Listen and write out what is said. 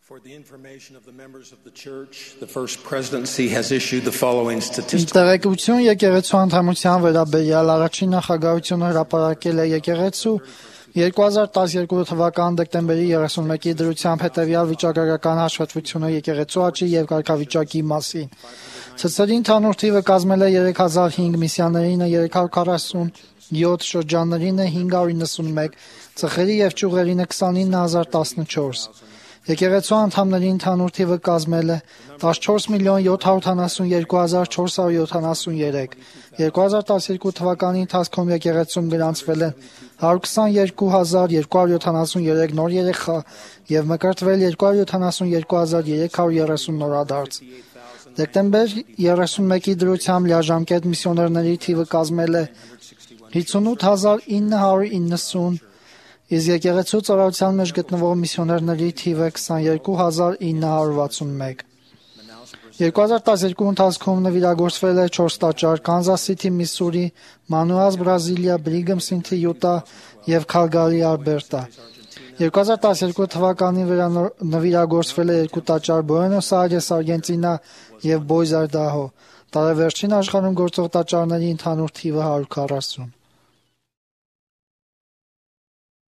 For the information of the members of the church, the First Presidency has issued the following statistics. Տեղեկություն եկեղեցու անդամության վերաբերյալ առաջին նախագահությունը հրապարակել է եկեղեցու 2012 թվական դեկտեմբերի 31-ի դրությամբ հետևյալ վիճակագրական հաշվետվությունը եկեղեցու աճի եւ կարգավիճակի մասին։ Ցցրի ընդհանուր թիվը կազմել է 3005 միսիաներինը 347 շրջաններինը 591, ծխերի եւ ճյուղերինը 29014։ Եկեղեցու անդամների ընդհանուր թիվը կազմել է 14,772,473։ 2012 թվականի ընթացքում եկեղեցում գրանցվել են 122,273 նոր երեխա եւ մկրտվել 272,330 նորադարձ։ Դեկտեմբեր 31-ի դրությամբ լիաժամկետ միսիոներների թիվը կազմել է 58,990, իսկ եկեղեցու ծառայության մեջ գտնվող միսիոներների թիվը 22,961։ 2012 ընթացքում նվիրագործվել է 4 տաճար՝ Կանզաս Սիթի, Միսսուրի, Մանուաս, Բրազիլիա, Բրիգհամ Սիթի, Յուտա եւ Քալգարի, Ալբերտա։ 2012 թվականին նվիրագործվել է 2 տաճար՝ Բուենոս Այրես, Արգենտինա եւ Բոյզ Այդահո։ Տարեվերջին աշխարհում գործող տաճարների ընդհանուր թիվը 140։